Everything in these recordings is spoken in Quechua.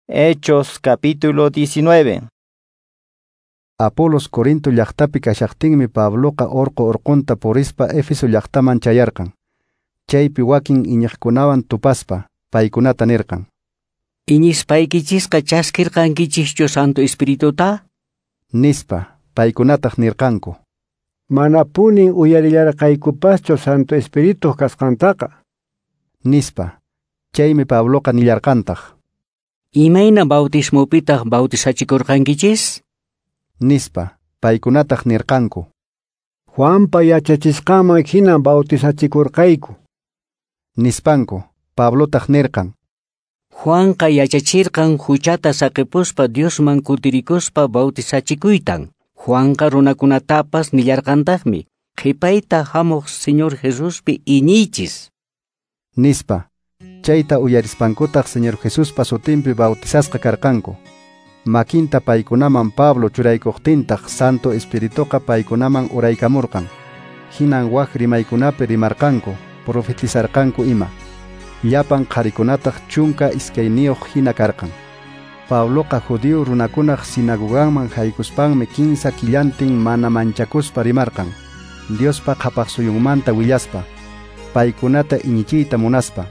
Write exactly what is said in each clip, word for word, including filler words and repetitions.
Hechos capítulo diecinueve. Apolos Corinto llaqtapi kashaqtinmi Pabloqa orqo orqonta purispa Éfeso llaqtaman chayarqan. Chaypi wakin iñiqkunawan tupaspa paykunata nirqan: Iñispaykichisqa chaskirqankichischu Santo Espirituta? Nispa, paykunataq nirqanku: Manapunin uyarillarqaykupaschu Santo Espirituq kasqantaqa. Nispa. Chaymi Pabloqa nillarqantaq: Imayna bautismopitaq bautizachikurqankichis? Nispa, paykunataq nirqanku: Juanpa yachachisqanman hinan bautizachikurqayku. Nispanku, Pablotaq nirqan: Juanqa yachachirqan huchata saqipuspa Diosman kutirikuspa bautizachikuytan. Juanqa runakunatapas nillarqantaqmi: Qhipayta hamuq Señor Jesuspi iñiychis. Nispa. Chayta uyarispankutaq Señor Jesuspa sutinpi bautizasqa karqanku. Makinta paykunaman Pablo churaykuqtintaq Santo Espirituqa paykunaman uraykamurqan. Hinan wak rimaykunapi rimarqanku, profetizarqanku ima. Llapan qharikunataq chunka iskayniyuq hina karqan. Pabloqa judío runakunaq sinagoganman haykuspanmi kinsa killantin mana manchakuspa rimarqan, Diospa qhapaqsuyunmanta willaspa, paykunata iñichiyta munaspa.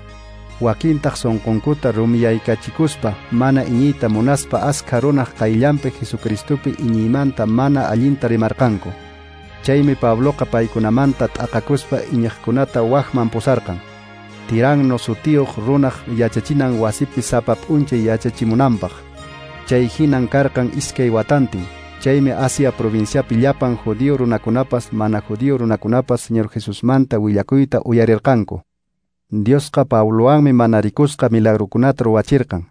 Wakintaq sunqunkuta rumiyaykachikuspa mana iñiyta munaspa askha runaq qayllanpi Jesucristopi iñiymanta mana allinta rimarqanku. Chaymi Pabloqa paykunamanta t'aqakuspa iñiqkunata wakman pusarqan. Tiranno sutiyuq runaq yachachinan wasipi sapa p'unchay yachachimunanpaq. Chay hinan karqan iskay watantin. Chaymi Asia provinciapi llapan judío runakunapas mana judío runakunapas Señor Jesusmanta willakuyta uyarirqanku. Diosqa Pablowanmi mana rikusqa milagrukunata ruwachirqan.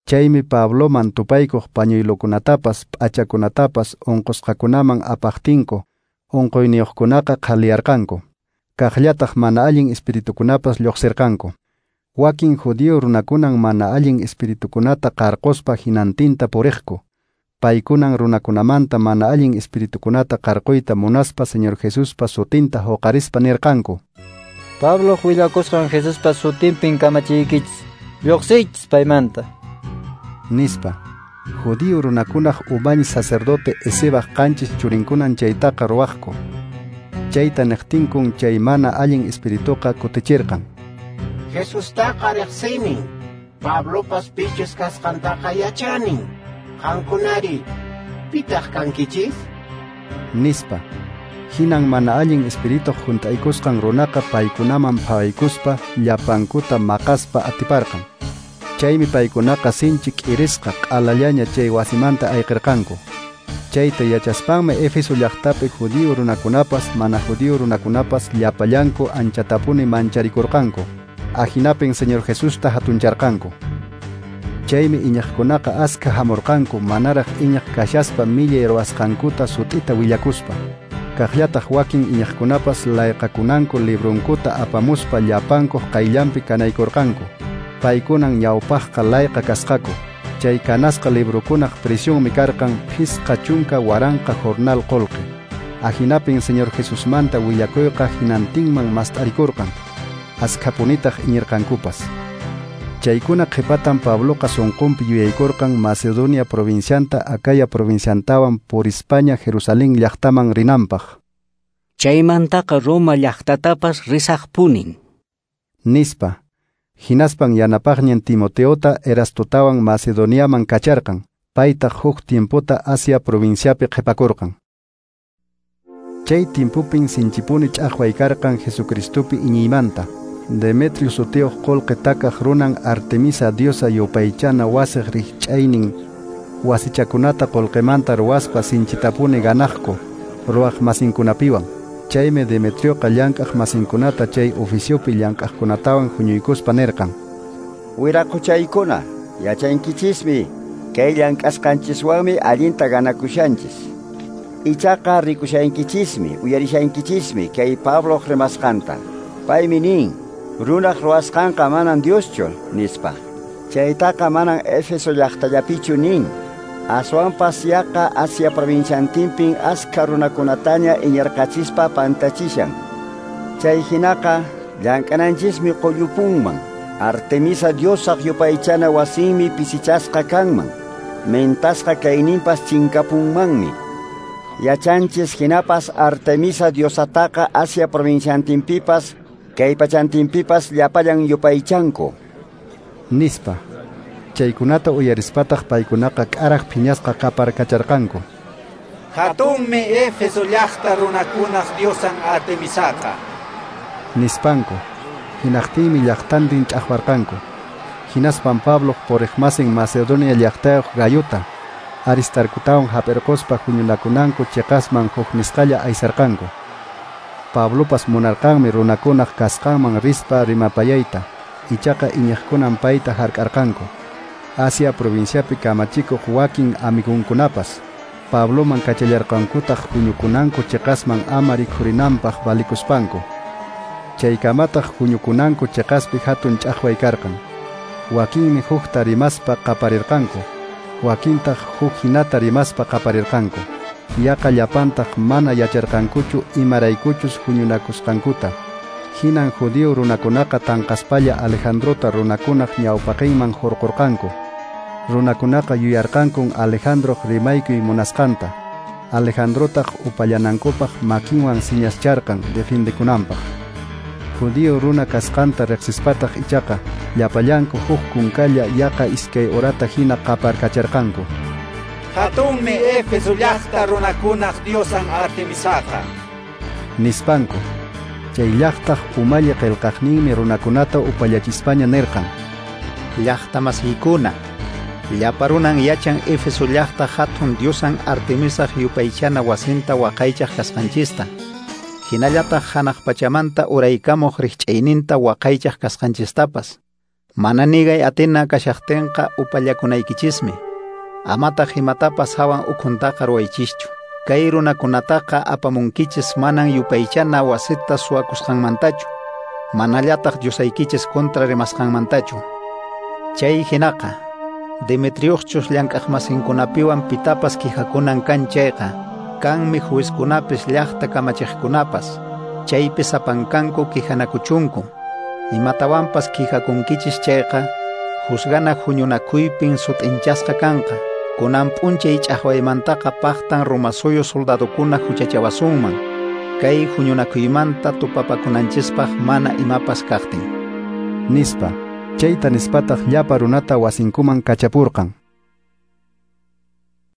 Chaymi Pabloman tupaykuq pañuylukunatapas p'achakunatapas unqusqakunaman apaqtinku unquyniyuqkunaqa qhaliyarqanku. Kaqllataq mana allin espiritukunapas lluqsirqanku. Wakin judío runakunan mana allin espiritukunata qarquspa hinantinta puriqku. Paykunan runakunamanta mana allin espiritukunata qarquyta munaspa Señor Jesuspa sutinta huqarispa nirqanku: Pablo willakusqan Jesuspa sutinpin kamachiykichis, lluqsiychis paymanta. Nispa. Judío runakunaq umañ sacerdote Esebaq qanchis churinkunan chaytaqa ruwaqku. Chayta niqtinkun chay mana allin espirituqa kutichirqan: Jesustaqa riqsinin, Pablopas pichus kasqantaqa yachanin. Qankunari, pitaq kankichis? Nispa. Hinan mana allin espirituq hunt'aykusqan runaqa paykunaman phawaykuspa llapankuta maqaspa atiparqan. Chaymi paykunaqa sinchi k'irisqa q'alallaña chay wasimanta ayqirqanku. Chayta yachaspanmi Éfeso llaqtapi judío runakunapas mana judío runakunapas llapallanku anchatapuni mancharikurqanku. Ahinapin Señor Jesusta hatuncharqanku. Chaymi iñiqkunaqa askha hamurqanku manaraq iñiq kashaspa millay ruwasqankuta sut'ita willakuspa. Kaqllataq wakin iñiqkunapas layqakunanku librunkuta apamuspa llapankuq qayllanpi kanaykurqanku. Paykunan ñawpaqqa layqa kasqaku. Chay kanasqa librukunaq presyunmi karqan phisqa chunka waranqa jornal qolqe. Ahinapin Señor Jesusmanta willakuyqa hinantinman mast'arikurqan. Askhapunitaq iñirqankupas. Chaykuna qhipatan Pabloqa sunqunpi yuyaykurqan Macedonia provincianta Acaya provinciantawan purispaña Jerusalén llaqtaman rinanpaq. Chaymantaqa Roma llaqtatapas risaqpunin. Nispa. Hinaspan yanapaqñin Timoteota Erastotawan Macedoniaman kacharqan. Paytaq huk tiempota Asia provinciapi qhipakurqan. Chay tiempopin sinchipuni ch'aqway karqan Jesucristopi iñiymanta. Demetrio sutiyuq qullqi takaq runan Artemisa diosa yupaychana wasiq rikch'aynin wasichakunata qullqimanta ruwaspa sinchitapuni ganaqku ruwaq masinkunapiwan. Chaymi Demetrioqa llank'aq masinkunata chay oficiopi llank'aqkunatawan huñuykuspa nirqan: Wiraquchaykuna, yachankichismi kay llank'asqanchiswanmi allinta ganakushanchis. Ichaqa rikushankichismi, uyarishankichismi kay Pabloq rimasqanta. Paymi nin: runaq ruwasqanqa manan Dioschu, nispa. Chaytaqa manan Éfeso llaqtallapichu nin. Aswanpas yaqa Asia provinciantinpin askha runakunataña iñirqachispa pantachishan. Chay hinaqa llank'ananchismi qullupunman. Artemisa diosaq yupaychana wasinmi pisichasqa kanman, mentasqa kayninpas chinkapunmanmi. Yachanchis hinapas Artemisa diosataqa Asia provinciantinpipas, kay pachantinpipas llapallan yupaychanku, nispa. Chaykunata uyarispataq paykunaqa k'araq phiñasqa qaparkacharqanku. Hatunmi Éfeso llaqta runakunaq diosan Artemisaqa, nispanku. Hinaqtinmi llaqtantin ch'aqwarqanku. Hinaspan Pabloq puriqmasin Macedonia llaqtayuq Gayota, Aristarcotawan hap'irquspa huñunakunanku chiqasman huk nisqalla aysarqanku. Pablopas munarqanmi runakunaq kasqanman rispa rimapayayta, ichaqa iñiqkunan payta hark'arqanku. Asia provinciapi kamachikuq wakin amigunkunapas Pabloman kachallarqankutaq huñukunanku chiqasman ama rikhurinanpaq valikuspanku. Chaykamataq huñukunanku chiqaspi hatun ch'aqway karqan. Wakinmi hukta rimaspa qaparirqanku, wakintaq huk hinata rimaspa qaparirqanku. Yaqa llapantaq mana yacharqankuchu imaraykuchus huñunakusqankuta. Hinan judío runakunaqa tanqaspalla Alejandrota runakunaq ñawpaqinman hurqurqanku. Runakunaqa yuyarqankun Alejandroq rimaykuy munasqanta. Alejandrotaq upallanankupaq makinwan siñascharqan defiendekunanpaq. Judío runa kasqanta riqsispataq ichaqa llapallanku huk kunkalla yaqa iskay horata hina qaparkacharqanku. Hatunmi Éfeso llaqta runakunaq diosan Artemisaqa, nispanku. Chay llaqtaq umalli qillqaqninmi runakunata upallachispaña nirqan: Llaqta masiykuna, llapa runan yachan Éfeso llaqta hatun diosan Artemisaq yupaychana wasinta waqaychaq kasqanchista, hinallataq hanaq pachamanta uraykamuq rikch'ayninta waqaychaq kasqanchistapas. Mana nigay atina kashaqtinqa upallakunaykichismi. Amataq imatapas hawan ukhuntaqa ruwaychischu. Kay runakunataqa apamunkichis manan yupaychana wasita suwakusqanmantachu, manallataq diosaykichis kontra rimasqanmantachu. Chay hinaqa, Demetriochus llank'aqmasinkunapiwan pitapas kijakunan kan chayqa, kanmi juezkunapis llaqta kamachiqkunapas, chaypi sapankanku kijanakuchunku. Imatawanpas kijakunkichis chayqa, juzgana huñunakuypin sut'inchasqa kanqa. Kunan p'unchay ch'aqwaymantaqa paqtan Romasuyu soldadokuna huchachawasunman, kay huñunakuymanta tupapakunanchispaq mana imapas kaqtin, nispa. Chayta nispataq llapa runata wasinkuman kachapurqan.